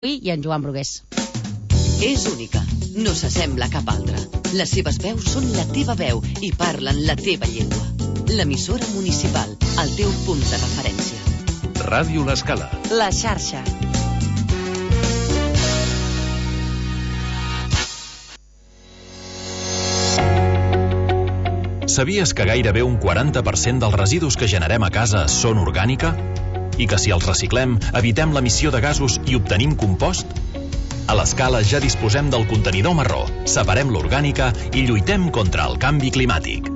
I en Joan Brugués. És única, no s'assembla a cap altra. Les seves veus són la teva veu i parlen la teva llengua. L'emissora municipal, el teu punt de referència. Ràdio L'Escala. La xarxa. Sabies que gairebé un 40% dels residus que generem a casa són orgànica? I que si els reciclem, evitem l'emissió de gasos i obtenim compost? A l'Escala ja disposem del contenidor marró, separem l'orgànica i lluitem contra el canvi climàtic.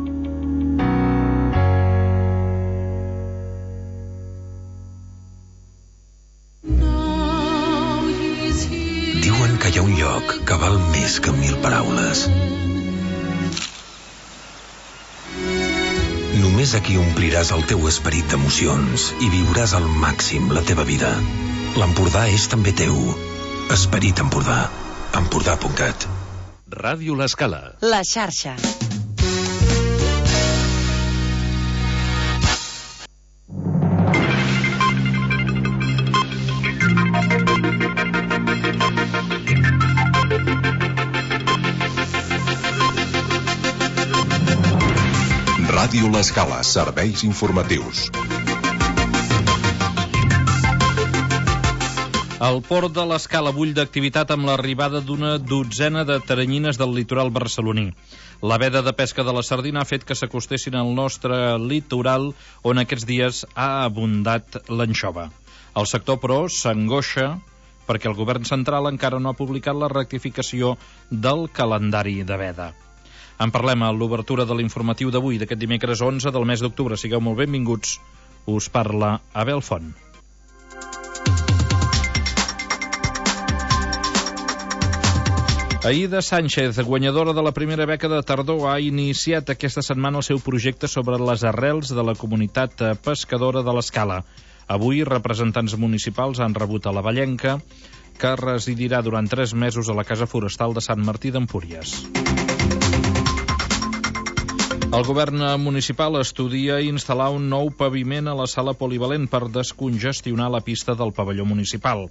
Diuen que hi ha un lloc que val més que 1000 paraules. Només aquí ompliràs el teu esperit d'emocions i viuràs al màxim la teva vida. L'Empordà és també teu. Esperit Empordà. Empordà.cat. Ràdio L'Escala. La xarxa. Ràdio L'Escala, serveis informatius. El port de l'Escala bull d'activitat amb l'arribada d'una dotzena de teranyines del litoral barceloní. La veda de pesca de la sardina ha fet que s'acostessin al nostre litoral, on aquests dies ha abundat l'anxova. El sector, però, s'angoixa perquè el govern central encara no ha publicat la rectificació del calendari de veda. En parlem a l'obertura de l'informatiu d'avui, d'aquest dimecres 11 del mes d'octubre. Sigueu molt benvinguts. Us parla Abel Font. Aïda Sánchez, guanyadora de la primera beca de tardor, ha iniciat aquesta setmana el seu projecte sobre les arrels de la comunitat pescadora de l'Escala. Avui, representants municipals han rebut a la Vallenca, que residirà durant 3 mesos a la Casa Forestal de Sant Martí d'Empúries. El govern municipal estudia instal·lar un nou paviment a la sala polivalent per descongestionar la pista del pavelló municipal.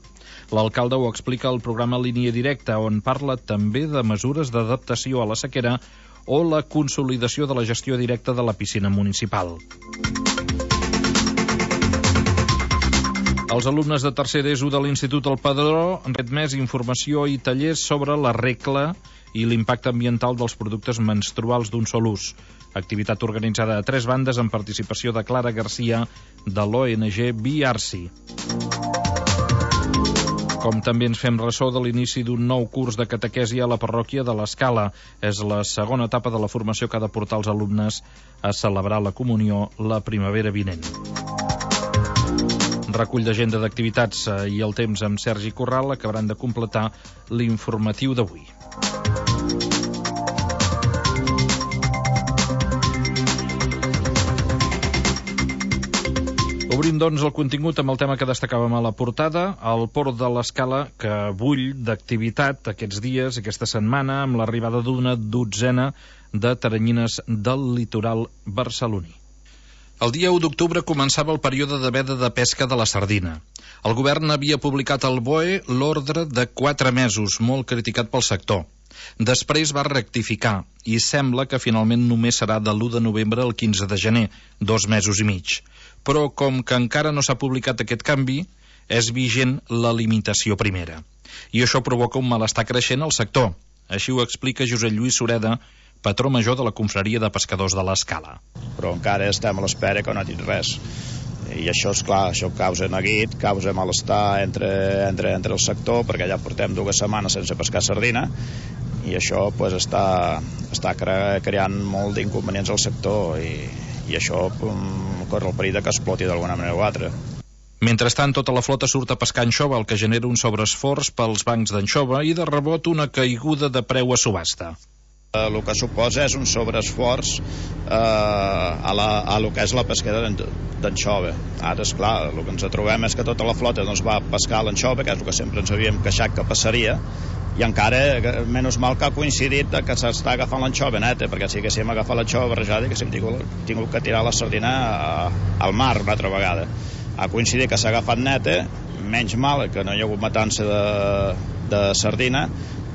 L'alcalde ho explica al programa Línia Directa, on parla també de mesures d'adaptació a la sequera o la consolidació de la gestió directa de la piscina municipal. Els alumnes de tercer d'ESO de l'Institut El Padró han ret més informació i tallers sobre la regla i l'impacte ambiental dels productes menstruals d'un sol ús. Activitat organitzada a 3 bandes amb participació de Clara Garcia de l'ONG BRC. Com també ens fem ressò de l'inici d'un nou curs de catequesi a la parròquia de l'Escala. És la segona etapa de la formació que ha de portar els alumnes a celebrar la comunió la primavera vinent. Recull d'agenda d'activitats i el temps amb Sergi Corral acabaran de completar l'informatiu d'avui. Obrim, doncs, el contingut amb el tema que destacàvem a la portada, el port de l'Escala, que bull d'activitat aquests dies, aquesta setmana, amb l'arribada d'una dotzena de teranyines del litoral barceloní. El dia 1 d'octubre començava el període de veda de pesca de la sardina. El govern havia publicat al BOE l'ordre de 4 mesos, molt criticat pel sector. Després va rectificar i sembla que finalment només serà de l'1 de novembre al 15 de gener, 2 mesos i mig. Però com que encara no s'ha publicat aquest canvi, és vigent la limitació primera. I això provoca un malestar creixent al sector. Així ho explica Josep Lluís Sureda, patró major de la confraria de pescadors de l'Escala. Però encara estem a l'espera que no ha dit res. I això, és clar, això causa neguit, causa malestar entre el sector, perquè ja portem 2 setmanes sense pescar sardina, i això pues, està creant molt d'inconvenients al sector, i això corre el perill que exploti d'alguna manera o altra. Mentrestant, tota la flota surt a pescar anxova, el que genera un sobreesforç pels bancs d'anxova i de rebot una caiguda de preu a subhasta. El que suposa és un sobreesforç a lo que és la pesca d'anxova. Ara, esclar, el que ens trobem és que tota la flota doncs, va pescar l'anxova, que és el que sempre ens havíem queixat que passaria, i encara, menys mal que ha coincidit que s'està agafant l'anxova neta, perquè si haguéssim agafat l'anxova barrejada haguéssim tingut que tirar la sardina al mar una altra vegada. Ha coincidit que s'ha agafat neta, menys mal que no hi ha hagut matança de sardina,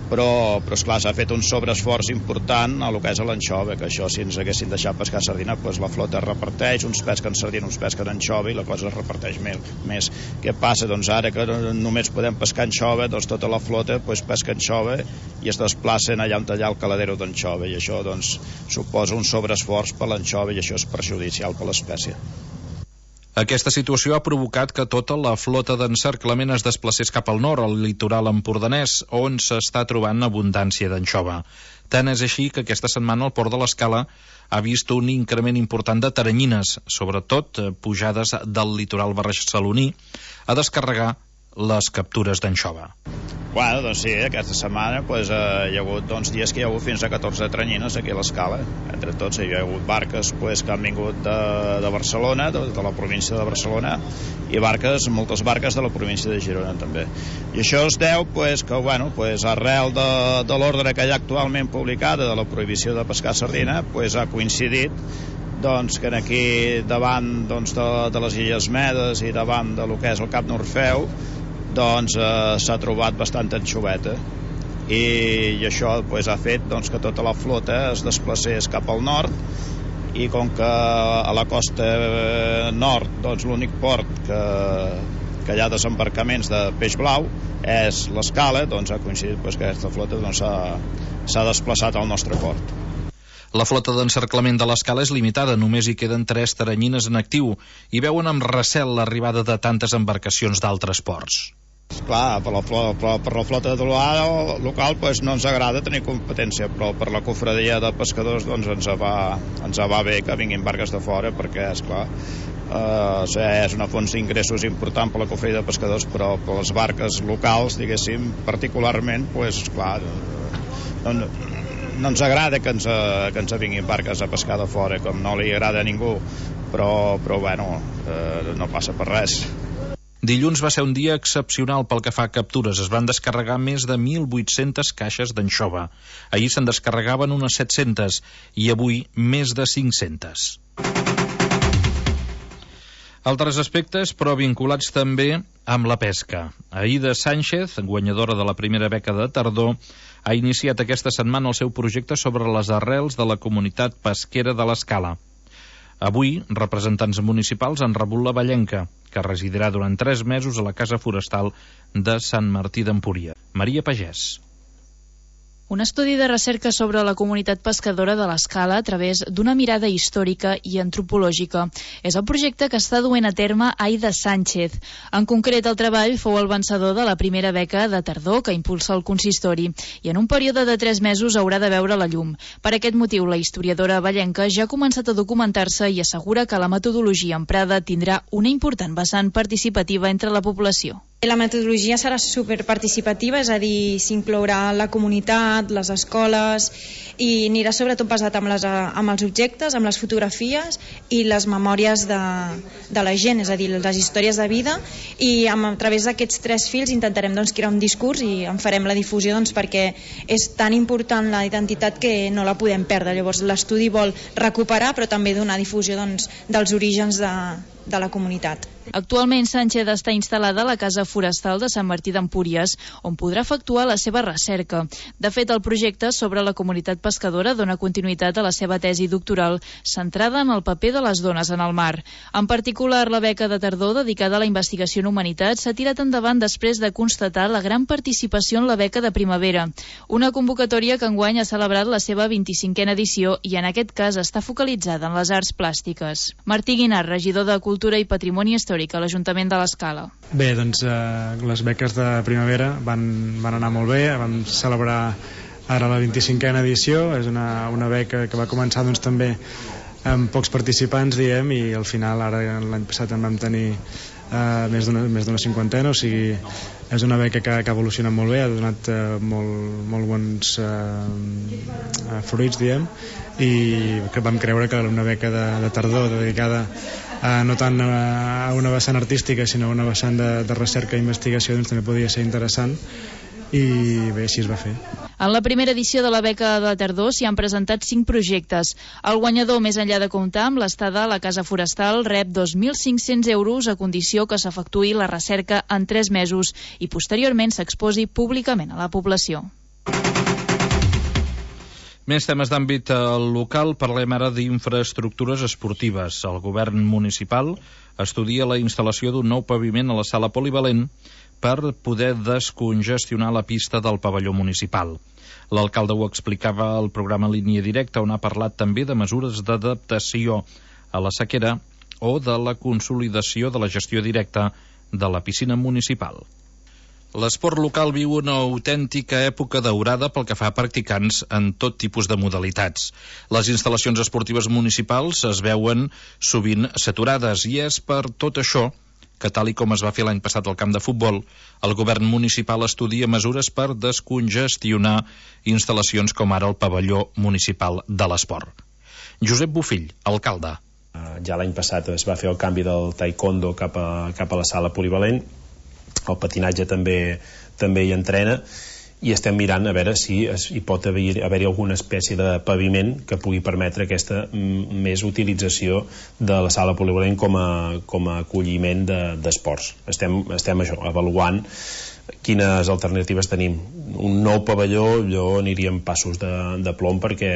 però esclar, s'ha fet un sobreesforç important a lo que és l'anxova, que això si ens haguessin deixat pescar sardina, doncs la flota es reparteix, uns pesquen sardina, uns pesquen anxova i la cosa es reparteix més. Què passa? Doncs ara que només podem pescar anxova, doncs tota la flota pesca anxova i es desplacen allà on allà el caladero d'anxova, i això doncs suposa un sobreesforç per l'anxova i això és perjudicial per l'espècie. Aquesta situació ha provocat que tota la flota d'encerclament es desplacés cap al nord, al litoral empordanès, on s'està trobant abundància d'anxova. Tant és així que aquesta setmana el port de l'Escala ha vist un increment important de taranyines, sobretot pujades del litoral barceloní, a descarregar les captures d'anxova. Bueno, doncs sí, aquesta setmana hi ha hagut dies que hi ha hagut fins a 14 taranyines aquí a l'Escala. Entre tots hi ha hagut barques que han vingut de Barcelona, de la província de Barcelona, i moltes barques de la província de Girona també. I això es deu que arrel de l'ordre que hi ha actualment publicada de la prohibició de pescar sardina, ha coincidit que aquí davant de les Illes Medes i davant de lo que és el Cap Norfeu s'ha trobat bastant anxoveta i això ha fet que tota la flota es desplacés cap al nord, i com que a la costa nord l'únic port que hi ha desembarcaments de peix blau és l'Escala, ha coincidit que aquesta flota s'ha desplaçat al nostre port. La flota d'encerclament de l'Escala és limitada, només hi queden 3 taranyines en actiu i veuen amb recel l'arribada de tantes embarcacions d'altres ports. Clar, per la flota local no ens agrada tenir competència, però per la cofradia de pescadors ens va bé que vinguin barques de fora, perquè esclar, és una font d'ingressos important per la cofradia de pescadors, però per les barques locals, diguéssim, particularment, esclar, no ens agrada que ens vinguin barques a pescar de fora, com no li agrada a ningú, però bueno, no passa per res. Dilluns va ser un dia excepcional pel que fa a captures. Es van descarregar més de 1.800 caixes d'anxova. Ahir se'n descarregaven unes 700 i avui més de 500. Altres aspectes, però vinculats també amb la pesca. Aida Sánchez, guanyadora de la primera beca de tardor, ha iniciat aquesta setmana el seu projecte sobre les arrels de la comunitat pesquera de l'Escala. Avui, representants municipals han rebut la vellenca, que residirà durant 3 mesos a la Casa Forestal de Sant Martí d'Empúries. Maria Pagès. Un estudi de recerca sobre la comunitat pescadora de l'Escala a través d'una mirada històrica i antropològica. És el projecte que està duent a terme Aida Sánchez. En concret, el treball fou el vencedor de la primera beca de tardor que impulsa el consistori i en un període de 3 mesos haurà de veure la llum. Per aquest motiu, la historiadora vallenca ja ha començat a documentar-se i assegura que la metodologia emprada tindrà una important vessant participativa entre la població. La metodologia serà superparticipativa, és a dir, s'inclourà la comunitat, les escoles, i anirà sobretot basat amb els objectes, amb les fotografies i les memòries de la gent, és a dir, les històries de vida, i a través d'aquests 3 fils intentarem crear un discurs i en farem la difusió perquè és tan important la identitat que no la podem perdre. Llavors l'estudi vol recuperar però també donar difusió dels orígens de la comunitat. Actualment, Sánchez està instal·lada a la Casa Forestal de Sant Martí d'Empúries, on podrà efectuar la seva recerca. De fet, el projecte sobre la comunitat pescadora dona continuïtat a la seva tesi doctoral, centrada en el paper de les dones en el mar. En particular, la beca de tardor dedicada a la investigació en humanitat s'ha tirat endavant després de constatar la gran participació en la beca de primavera, una convocatòria que enguany ha celebrat la seva 25a edició i en aquest cas està focalitzada en les arts plàstiques. Martí Guinart, regidor de Cultura i Patrimoni Històric a l'Ajuntament de l'Escala. Bé, les beques de primavera van anar molt bé, vam celebrar ara la 25a edició, és una beca que va començar també amb pocs participants, diem, i al final ara l'any passat en vam tenir més d'una cinquantena, o sigui, és una beca que ha evolucionat molt bé, ha donat molt bons fruits, diem, i que vam creure que una beca de tardor dedicada no tant a una vessant artística sinó a una vessant de recerca i investigació també podia ser interessant, i bé, així es va fer. En la primera edició de la beca de la tardor s'hi han presentat 5 projectes. El guanyador, més enllà de comptar amb l'estada a la Casa Forestal, rep 2.500 euros a condició que s'efectuï la recerca en 3 mesos i posteriorment s'exposi públicament a la població. Més temes d'àmbit local, parlem ara d'infraestructures esportives. El govern municipal estudia la instal·lació d'un nou paviment a la sala polivalent per poder descongestionar la pista del pavelló municipal. L'alcalde ho explicava al programa Línia Directa, on ha parlat també de mesures d'adaptació a la sequera o de la consolidació de la gestió directa de la piscina municipal. L'esport local viu una autèntica època daurada pel que fa a practicants en tot tipus de modalitats. Les instal·lacions esportives municipals es veuen sovint saturades i és per tot això que, tal i com es va fer l'any passat al camp de futbol, el govern municipal estudia mesures per descongestionar instal·lacions com ara el pavelló municipal de l'esport. Josep Bofill, alcalde. Ja l'any passat es va fer el canvi del taekwondo cap a la sala polivalent. El patinatge també hi entrena i estem mirant a veure si hi pot haver-hi alguna espècie de paviment que pugui permetre aquesta més utilització de la sala polivalent com a acolliment d'esports. Estem això, avaluant quines alternatives tenim. Un nou pavelló, jo aniria en passos de plom perquè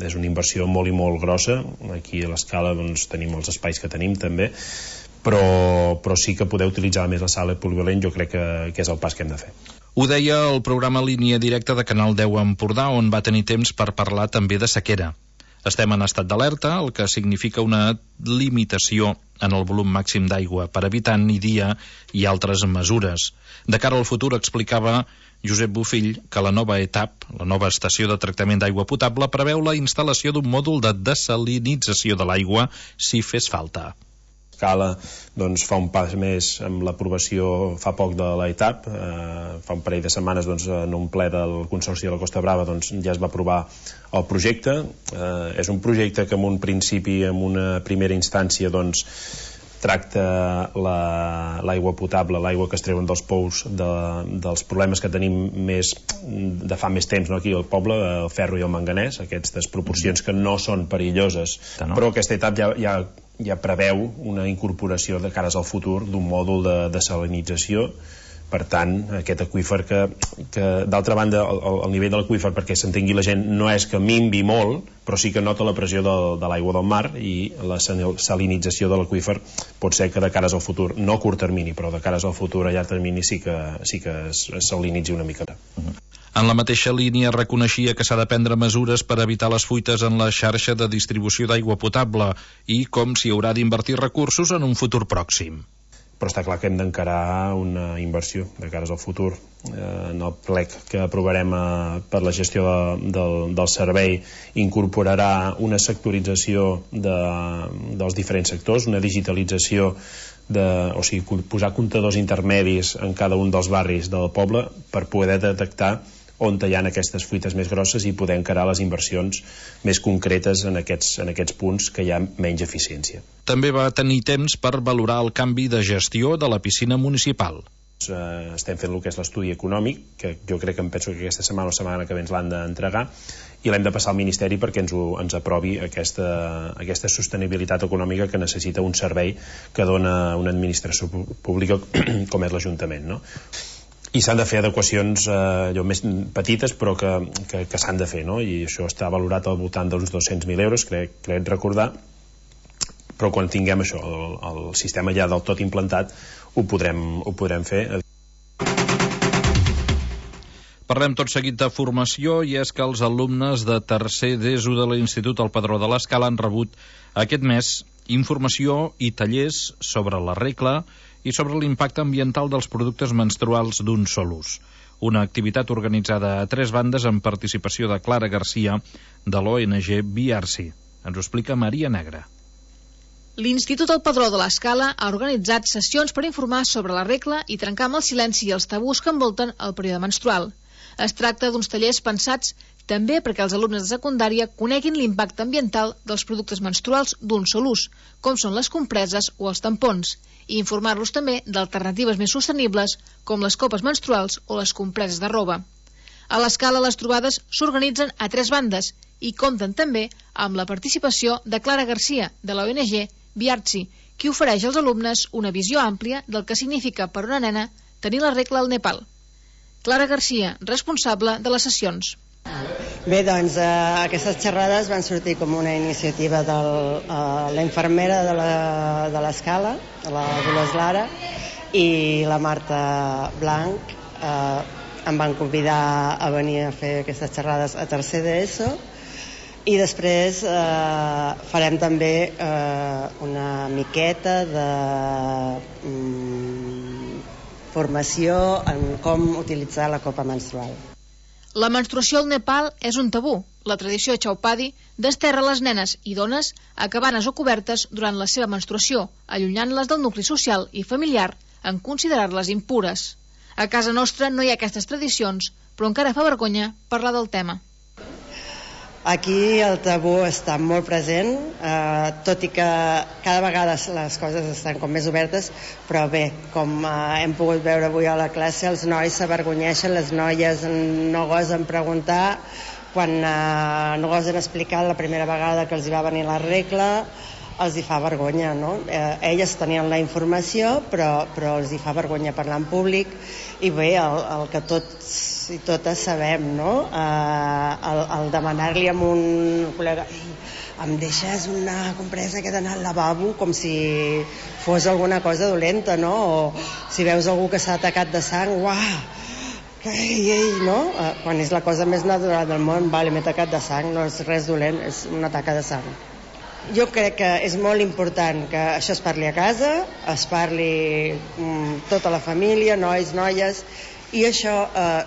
és una inversió molt i molt grossa. Aquí a l'Escala doncs, tenim els espais que tenim també, però sí que poder utilitzar més la sala polivalent jo crec que és el pas que hem de fer. Ho deia el programa Línia Directa de Canal 10 Empordà, on va tenir temps per parlar també de sequera. Estem en estat d'alerta, el que significa una limitació en el volum màxim d'aigua per habitant i dia i altres mesures. De cara al futur, explicava Josep Bofill que la nova ETAP, la nova estació de tractament d'aigua potable, preveu la instal·lació d'un mòdul de dessalinització de l'aigua si fes falta. Escala doncs, fa un pas més amb l'aprovació fa poc de l'ETAP. Fa un parell de setmanes doncs, en un ple del Consorci de la Costa Brava doncs, ja es va aprovar el projecte. És un projecte que en un principi, en una primera instància doncs, tracta l'aigua potable, l'aigua que es treuen dels pous dels problemes que tenim de fa més temps aquí al poble, el ferro i el manganès, aquestes proporcions que no són perilloses, però aquesta etapa ja preveu una incorporació de cares al futur d'un mòdul de dessalinització. Per tant, aquest aqüífer que d'altra banda, el nivell de l'aqüífer, perquè s'entengui la gent, no és que minvi molt, però sí que nota la pressió de l'aigua del mar i la salinització de l'aqüífer pot ser que de cares al futur, no a curt termini, però de cares al futur a llarg termini sí que es salinitzi una mica. En la mateixa línia reconeixia que s'ha de prendre mesures per evitar les fuites en la xarxa de distribució d'aigua potable i com s'hi haurà d'invertir recursos en un futur pròxim. Però està clar que hem d'encarar una inversió de cares al futur. En el plec que aprovarem per la gestió del servei incorporarà una sectorització dels diferents sectors, una digitalització, o sigui, posar comptadors intermedis en cada un dels barris del poble per poder detectar on hi ha aquestes fuites més grosses i poder encarar les inversions més concretes en aquests punts que hi ha menys eficiència. També va tenir temps per valorar el canvi de gestió de la piscina municipal. Estem fent el que és l'estudi econòmic, que jo crec que penso que aquesta setmana o setmana que ve ens l'han d'entregar, i l'hem de passar al Ministeri perquè ens aprovi aquesta sostenibilitat econòmica que necessita un servei que dona una administració pública com és l'Ajuntament, no? I s'han de fer adequacions més petites però que s'han de fer, no? I això està valorat al voltant d'uns 200.000 euros, crec recordar, però quan tinguem això, el sistema ja del tot implantat, ho podrem fer. Parlem tot seguit de formació i és que els alumnes de tercer d'ESO de l'Institut El Padró de l'Escala han rebut aquest mes informació i tallers sobre la regla i sobre l'impacte ambiental dels productes menstruals d'un sol ús. Una activitat organitzada a 3 bandes amb participació de Clara Garcia de l'ONG BRC. Ens ho explica Maria Negra. L'Institut El Padró de l'Escala ha organitzat sessions per informar sobre la regla i trencar amb el silenci i els tabús que envolten el període menstrual. Es tracta d'uns tallers pensats també perquè els alumnes de secundària coneguin l'impacte ambiental dels productes menstruals d'un sol ús, com són les compreses o els tampons, i informar-los també d'alternatives més sostenibles, com les copes menstruals o les compreses de roba. A l'escala, les trobades s'organitzen a 3 bandes i compten també amb la participació de Clara Garcia, de la ONG Viartsi, qui ofereix als alumnes una visió àmplia del que significa per una nena tenir la regla al Nepal. Clara Garcia, responsable de les sessions. Bé, doncs aquestes xerrades van sortir com una iniciativa de la infermera de l'escala, la Dolors Lara, i la Marta Blanc em van convidar a venir a fer aquestes xerrades a tercer d'ESO, i després farem també una miqueta de formació en com utilitzar la copa menstrual. La menstruació al Nepal és un tabú. La tradició Chaupadi desterra les nenes i dones a cabanes o cobertes durant la seva menstruació, allunyant-les del nucli social i familiar en considerar-les impures. A casa nostra no hi ha aquestes tradicions, però encara fa vergonya parlar del tema. Aquí el tabú està molt present, tot i que cada vegada les coses estan com més obertes, però bé, com hem pogut veure avui a la classe, els nois s'avergonyeixen, les noies no gosen preguntar, quan no gosen explicar la primera vegada que els hi va venir la regla, els hi fa vergonya, no? Elles tenien la informació, però els hi fa vergonya parlar en públic, i bé, el que tots i totes sabem, no? El demanar-li a un col·lega, em deixes una compresa que he d'anar al lavabo, com si fos alguna cosa dolenta, no? O si veus algú que s'ha atacat de sang, uah, ei, no? Quan és la cosa més natural del món, vale, m'he atacat de sang, no és res dolent, és una taca de sang. Jo crec que és molt important que això es parli a casa, es parli tota la família, nois, noies, i això,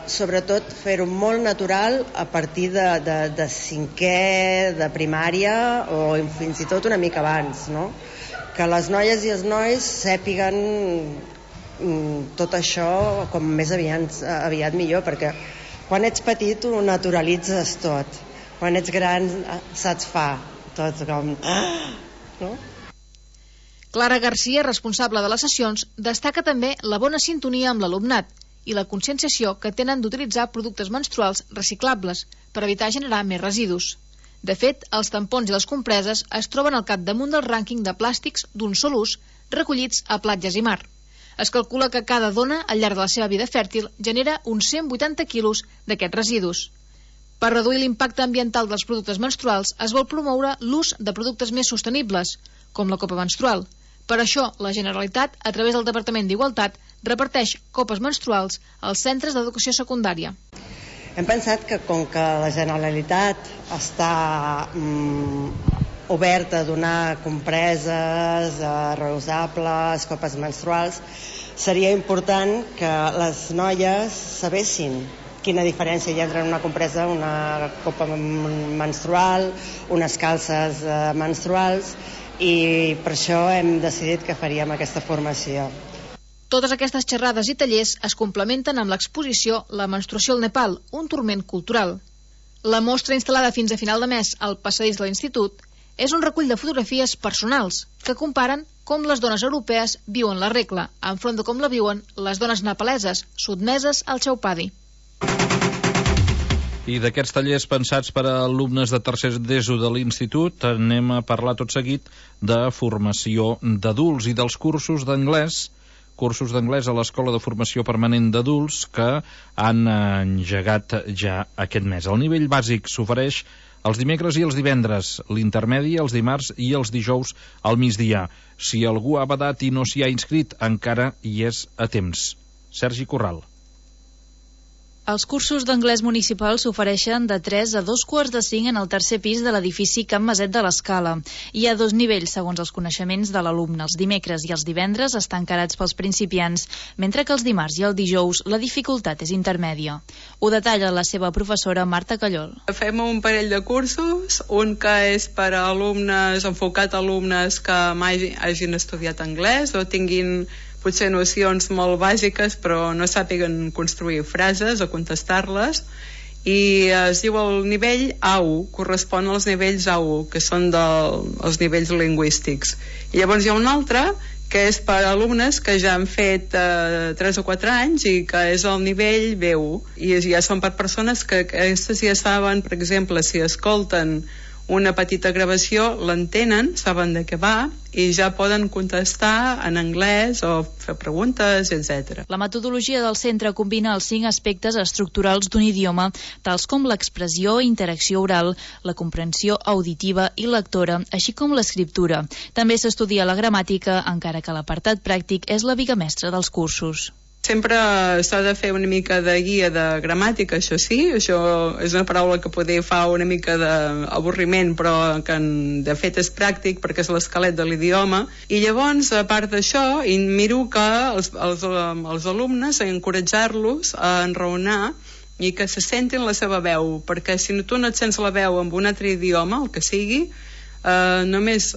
sobretot, fer-ho molt natural a partir de cinquè, de primària, o fins i tot una mica abans, no? Que les noies i els nois sàpiguen tot això com més aviat millor, perquè quan ets petit ho naturalitzes tot, quan ets gran saps fa tot com... no? Clara Garcia, responsable de les sessions, destaca també la bona sintonia amb l'alumnat i la conscienciació que tenen d'utilitzar productes menstruals reciclables per evitar generar més residus. De fet, els tampons i les compreses es troben al capdamunt del rànquing de plàstics d'un sol ús recollits a platges i mar. Es calcula que cada dona, al llarg de la seva vida fèrtil, genera uns 180 quilos d'aquests residus. Per reduir l'impacte ambiental dels productes menstruals, es vol promoure l'ús de productes més sostenibles, com la copa menstrual. Per això, la Generalitat, a través del Departament d'Igualtat, reparteix copes menstruals als centres d'educació secundària. Hem pensat que com que la Generalitat està oberta a donar compreses reusables, copes menstruals, seria important que les noies sabessin quina diferència hi ha entre una compresa, una copa menstrual, unes calces menstruals, i per això hem decidit que faríem aquesta formació. Totes aquestes xerrades i tallers es complementen amb l'exposició La menstruació al Nepal, un turment cultural. La mostra, instal·lada fins a final de mes al passadís de l'Institut, és un recull de fotografies personals que comparen com les dones europees viuen la regla, enfront de com la viuen les dones nepaleses, sotmeses al Chaupadi. I d'aquests tallers pensats per a alumnes de tercer d'ESO de l'Institut anem a parlar tot seguit de formació d'adults i dels cursos d'anglès a l'Escola de Formació Permanent d'Adults que han engegat ja aquest mes. El nivell bàsic s'ofereix els dimecres i els divendres, l'intermedi els dimarts i els dijous al migdia. Si algú ha badat i no s'hi ha inscrit, encara hi és a temps. Sergi Corral. Els cursos d'anglès municipal s'ofereixen de 3 a 2:45 en el tercer pis de l'edifici Can Maset de l'Escala. Hi ha 2 nivells, segons els coneixements de l'alumne. Els dimecres i els divendres estan encarats pels principiants, mentre que els dimarts i el dijous la dificultat és intermèdia. Ho detalla la seva professora Marta Callol. Fem un parell de cursos, un que és per a alumnes, enfocat a alumnes que mai hagin estudiat anglès o tinguin potser nocions molt bàsiques però no sàpiguen construir frases o contestar-les, i es diu el nivell A1, correspon als nivells A1, que són els nivells lingüístics. I llavors hi ha un altre que és per a alumnes que ja han fet 3 o 4 anys i que és el nivell B1, i ja són per persones que aquestes ja saben, per exemple, si escolten una petita gravació, l'entenen, saben de què va i ja poden contestar en anglès o fer preguntes, etc. La metodologia del centre combina els 5 aspectes estructurals d'un idioma, tals com l'expressió i interacció oral, la comprensió auditiva i lectora, així com l'escriptura. També s'estudia la gramàtica, encara que l'apartat pràctic és la viga mestra dels cursos. Sempre s'ha de fer una mica de guia de gramàtica, això sí, això és una paraula que poder fa una mica d'avorriment, però que de fet és pràctic perquè és l'esquelet de l'idioma. I llavors, a part d'això, miro que els alumnes, encoratjar-los a enraonar i que se sentin la seva veu, perquè si tu no et sents la veu amb un altre idioma, el que sigui, només...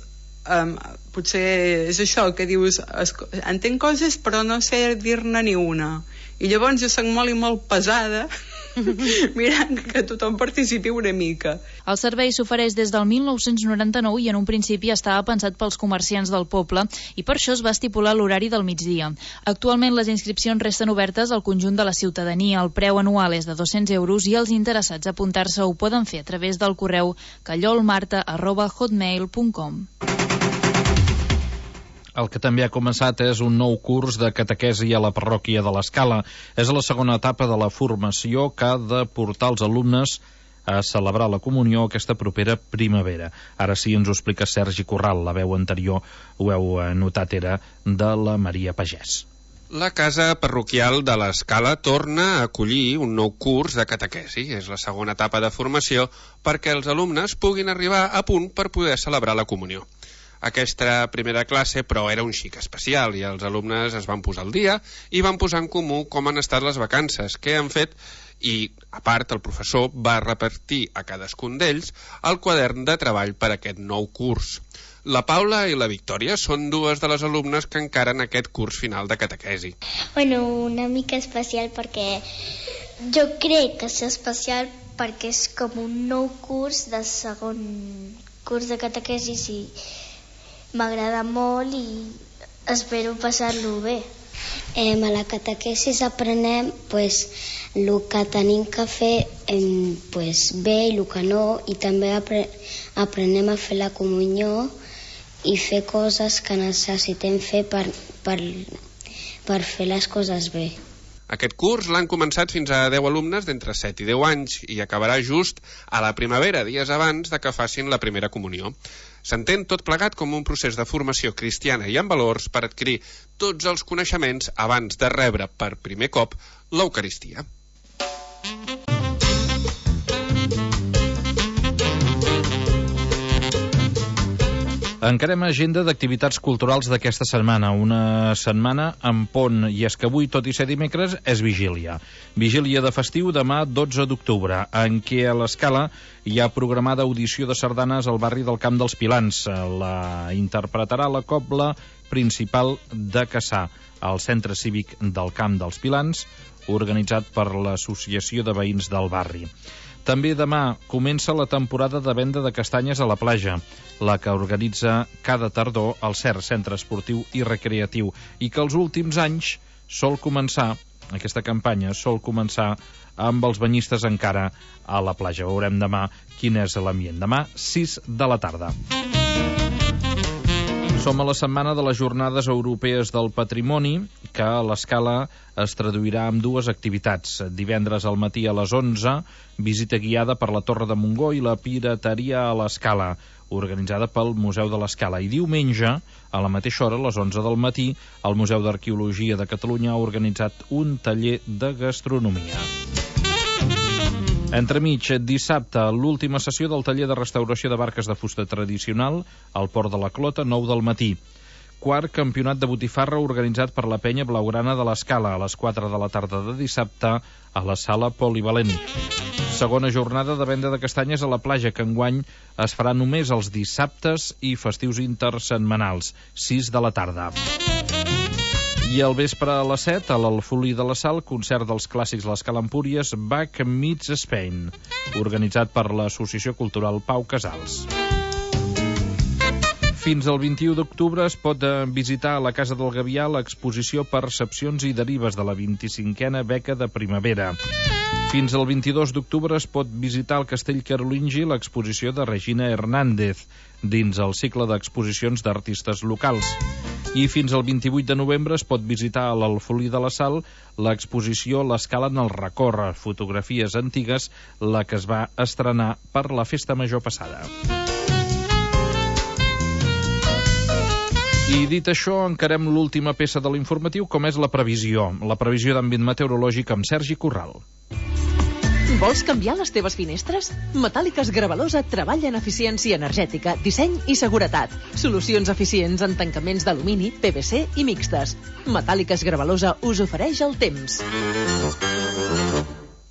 potser és això que dius, entenc coses però no sé dir-ne ni una, i llavors jo soc molt pesada mirant que tothom participi una mica. El servei s'ofereix des del 1999 i en un principi estava pensat pels comerciants del poble i per això es va estipular l'horari del migdia. Actualment les inscripcions resten obertes al conjunt de la ciutadania. El preu anual és de 200 euros i els interessats a apuntar-se ho poden fer a través del correu callolmarta@hotmail.com. El que també ha començat és un nou curs de catequesi a la parròquia de l'Escala. És la segona etapa de la formació que ha de portar els alumnes a celebrar la comunió aquesta propera primavera. Ara sí ens ho explica Sergi Corral. La veu anterior, ho heu notat, era de la Maria Pagès. La casa parroquial de l'Escala torna a acollir un nou curs de catequesi. És la segona etapa de formació perquè els alumnes puguin arribar a punt per poder celebrar la comunió. Aquesta primera classe, però, era un xic especial i els alumnes es van posar al dia i van posar en comú com han estat les vacances, què han fet, i, a part, el professor va repartir a cadascun d'ells el quadern de treball per aquest nou curs. La Paula i la Victòria són dues de les alumnes que encaren aquest curs final de catequesi. Bueno, una mica especial perquè jo crec que és especial perquè és com un nou curs de segon curs de catequesi i m'agrada molt i espero passar-lo bé. A la catequesis aprenem el que tenim que fer bé i el que no, i també aprenem a fer la comunió i fer coses que necessitem fer per fer les coses bé. Aquest curs l'han començat fins a 10 alumnes d'entre 7 i 10 anys i acabarà just a la primavera, dies abans de que facin la primera comunió. S'entén tot plegat com un procés de formació cristiana i amb valors per adquirir tots els coneixements abans de rebre per primer cop l'Eucaristia. Encarem agenda d'activitats culturals d'aquesta setmana. Una setmana amb pont, i és que avui, tot i ser dimecres, és vigília. Vigília de festiu demà 12 d'octubre, en què a l'Escala hi ha programada audició de sardanes al barri del Camp dels Pilans. La interpretarà la cobla principal de Cassà, al Centre Cívic del Camp dels Pilans, organitzat per l'Associació de Veïns del Barri. També demà comença la temporada de venda de castanyes a la platja, la que organitza cada tardor el CERC, Centre Esportiu i Recreatiu, i que els últims anys aquesta campanya sol començar amb els banyistes encara a la platja. Veurem demà quin és l'ambient. Demà, 6 de la tarda. Som a la setmana de les Jornades Europees del Patrimoni, que a l'Escala es traduirà en dues activitats. Divendres al matí a les 11, visita guiada per la Torre de Montgó i la pirateria a l'Escala, organitzada pel Museu de l'Escala. I diumenge, a la mateixa hora, a les 11 del matí, el Museu d'Arqueologia de Catalunya ha organitzat un taller de gastronomia. Entremig, dissabte, l'última sessió del taller de restauració de barques de fusta tradicional al Port de la Clota, 9 del matí. Quart campionat de botifarra organitzat per la penya blaugrana de l'Escala a les 4 de la tarda de dissabte a la sala polivalent. Segona jornada de venda de castanyes a la platja, que enguany es farà només els dissabtes i festius intersetmanals, 6 de la tarda. I al vespre a les 7, a l'Alfolí de la Sal, concert dels clàssics L'Escala Empúries, Bach Meets Spain, organitzat per l'Associació Cultural Pau Casals. Fins al 21 d'octubre es pot visitar a la Casa del Gavià l'exposició Percepcions i Derives de la 25a Beca de Primavera. Fins al 22 d'octubre es pot visitar al Castell Carolingi l'exposició de Regina Hernández, dins el cicle d'exposicions d'artistes locals. I fins al 28 de novembre es pot visitar a l'Alfolí de la Sal l'exposició L'Escala en el Recorre, fotografies antigues, la que es va estrenar per la Festa Major passada. I dit això, encarem l'última peça de l'informatiu, com és la previsió d'àmbit meteorològic amb Sergi Corral. Vols canviar les teves finestres? Metàl·liques Gravalosa treballa en eficiència energètica, disseny i seguretat. Solucions eficients en tancaments d'alumini, PVC i mixtes. Metàl·liques Gravalosa us ofereix el temps.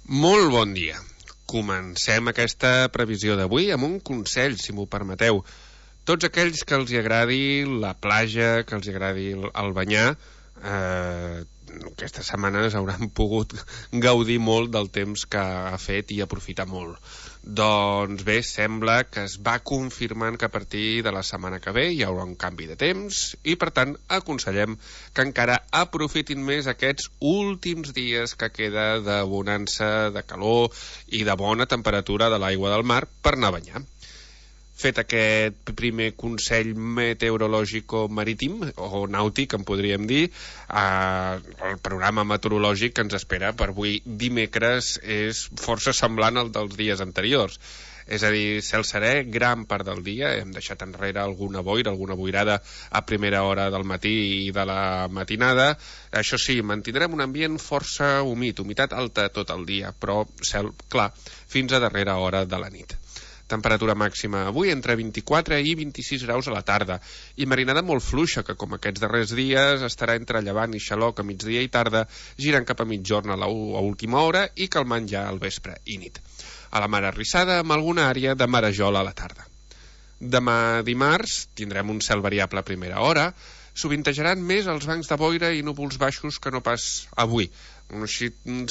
Molt bon dia. Comencem aquesta previsió d'avui amb un consell, si m'ho permeteu. Tots aquells que els agradi la platja, que els agradi el banyar, aquestes setmanes hauran pogut gaudir molt del temps que ha fet i aprofitar molt. Doncs bé, sembla que es va confirmant que a partir de la setmana que ve hi haurà un canvi de temps i, per tant, aconsellem que encara aprofitin més aquests últims dies que queda de bonança, de calor i de bona temperatura de l'aigua del mar per anar a banyar. Fet aquest primer consell meteorològico-marítim, o nàutic, en podríem dir, el programa meteorològic que ens espera per avui dimecres és força semblant al dels dies anteriors. És a dir, cel serè gran part del dia, hem deixat enrere alguna boira, alguna boirada a primera hora del matí i de la matinada. Això sí, mantindrem un ambient força humit, humitat alta tot el dia, però cel clar fins a darrera hora de la nit. Temperatura màxima avui entre 24 i 26 graus a la tarda i marinada molt fluixa que, com aquests darrers dies, estarà entre llevant i xaloc a migdia i tarda, girant cap a mitjorn a última hora i calmant ja al vespre i nit. A la mar arrissada amb alguna àrea de marejol a la tarda. Demà dimarts tindrem un cel variable a primera hora, sovintejaran més els bancs de boira i núvols baixos que no pas avui, un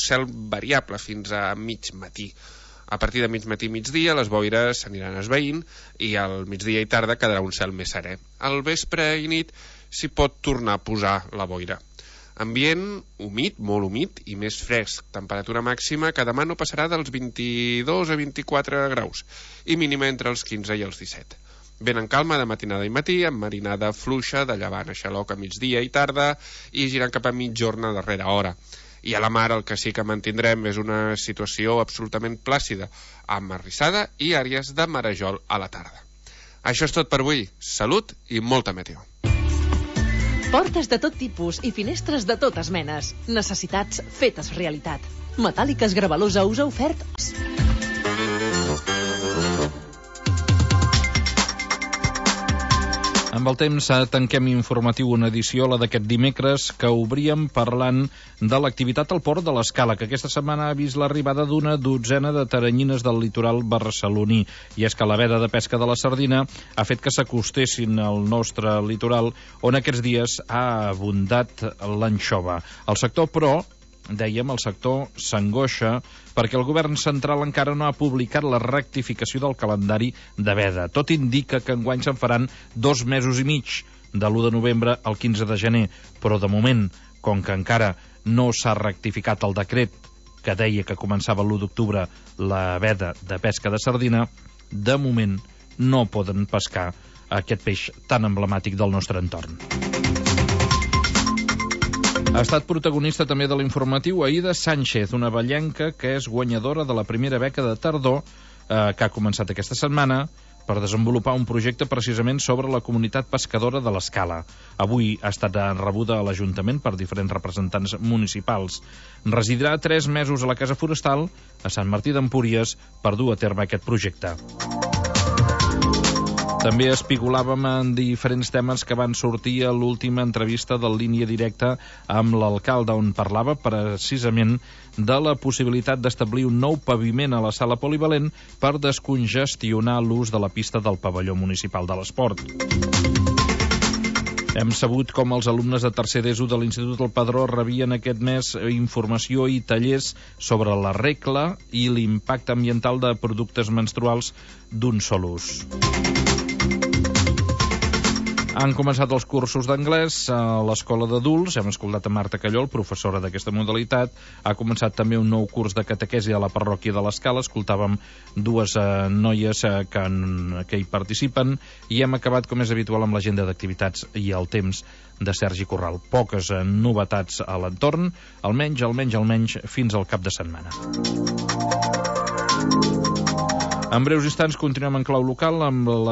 cel variable fins a mig matí. A partir de mig matí i migdia les boires s'aniran esvaint i al migdia i tarda quedarà un cel més serè. Al vespre i nit s'hi pot tornar a posar la boira. Ambient humit, molt humit i més fresc. Temperatura màxima que demà no passarà dels 22 a 24 graus i mínima entre els 15 i els 17. Vent en calma de matinada i matí, amb marinada fluixa de llevant a xaloc a migdia i tarda i girant cap a mitjorn a darrera hora. I a la mar el que sí que mantindrem és una situació absolutament plàcida, amb arrissada i àrees de marejol a la tarda. Això és tot per avui. Salut i molta meteo. Portes de tot tipus i finestres de totes menes. Necessitats fetes realitat. Metàl·liques Gravalosa us ha ofert... Amb el temps tanquem informatiu una edició, la d'aquest dimecres, que obríem parlant de l'activitat al port de l'Escala, que aquesta setmana ha vist l'arribada d'una dotzena de teranyines del litoral barceloní. I és que la veda de pesca de la sardina ha fet que s'acostessin al nostre litoral, on aquests dies ha abundat l'anxova. El sector, però, dèiem, el sector s'angoixa perquè el govern central encara no ha publicat la rectificació del calendari de veda. Tot indica que enguany se'n faran 2 mesos i mig, de l'1 de novembre al 15 de gener, però de moment, com que encara no s'ha rectificat el decret que deia que començava l'1 d'octubre la veda de pesca de sardina, de moment no poden pescar aquest peix tan emblemàtic del nostre entorn. Ha estat protagonista també de l'informatiu Aida Sánchez, una ballenca que és guanyadora de la primera beca de tardor que ha començat aquesta setmana per desenvolupar un projecte precisament sobre la comunitat pescadora de l'Escala. Avui ha estat rebuda a l'Ajuntament per diferents representants municipals. Residirà 3 mesos a la Casa Forestal, a Sant Martí d'Empúries, per dur a terme aquest projecte. També espigolàvem en diferents temes que van sortir a l'última entrevista del Línia Directa amb l'alcalde, on parlava precisament de la possibilitat d'establir un nou paviment a la sala polivalent per descongestionar l'ús de la pista del pavelló municipal de l'esport. Hem sabut com els alumnes de tercer d'ESO de l'Institut del Padró rebien aquest mes informació i tallers sobre la regla i l'impacte ambiental de productes menstruals d'un sol ús. Han començat els cursos d'anglès a l'Escola d'Adults. Hem escoltat a Marta Callol, professora d'aquesta modalitat. Ha començat també un nou curs de catequesi a la parròquia de l'Escala. Escoltàvem dues noies que hi participen i hem acabat, com és habitual, amb l'agenda d'activitats i el temps de Sergi Corral. Poques novetats a l'entorn, almenys fins al cap de setmana. En breus instants continuem en clau local amb la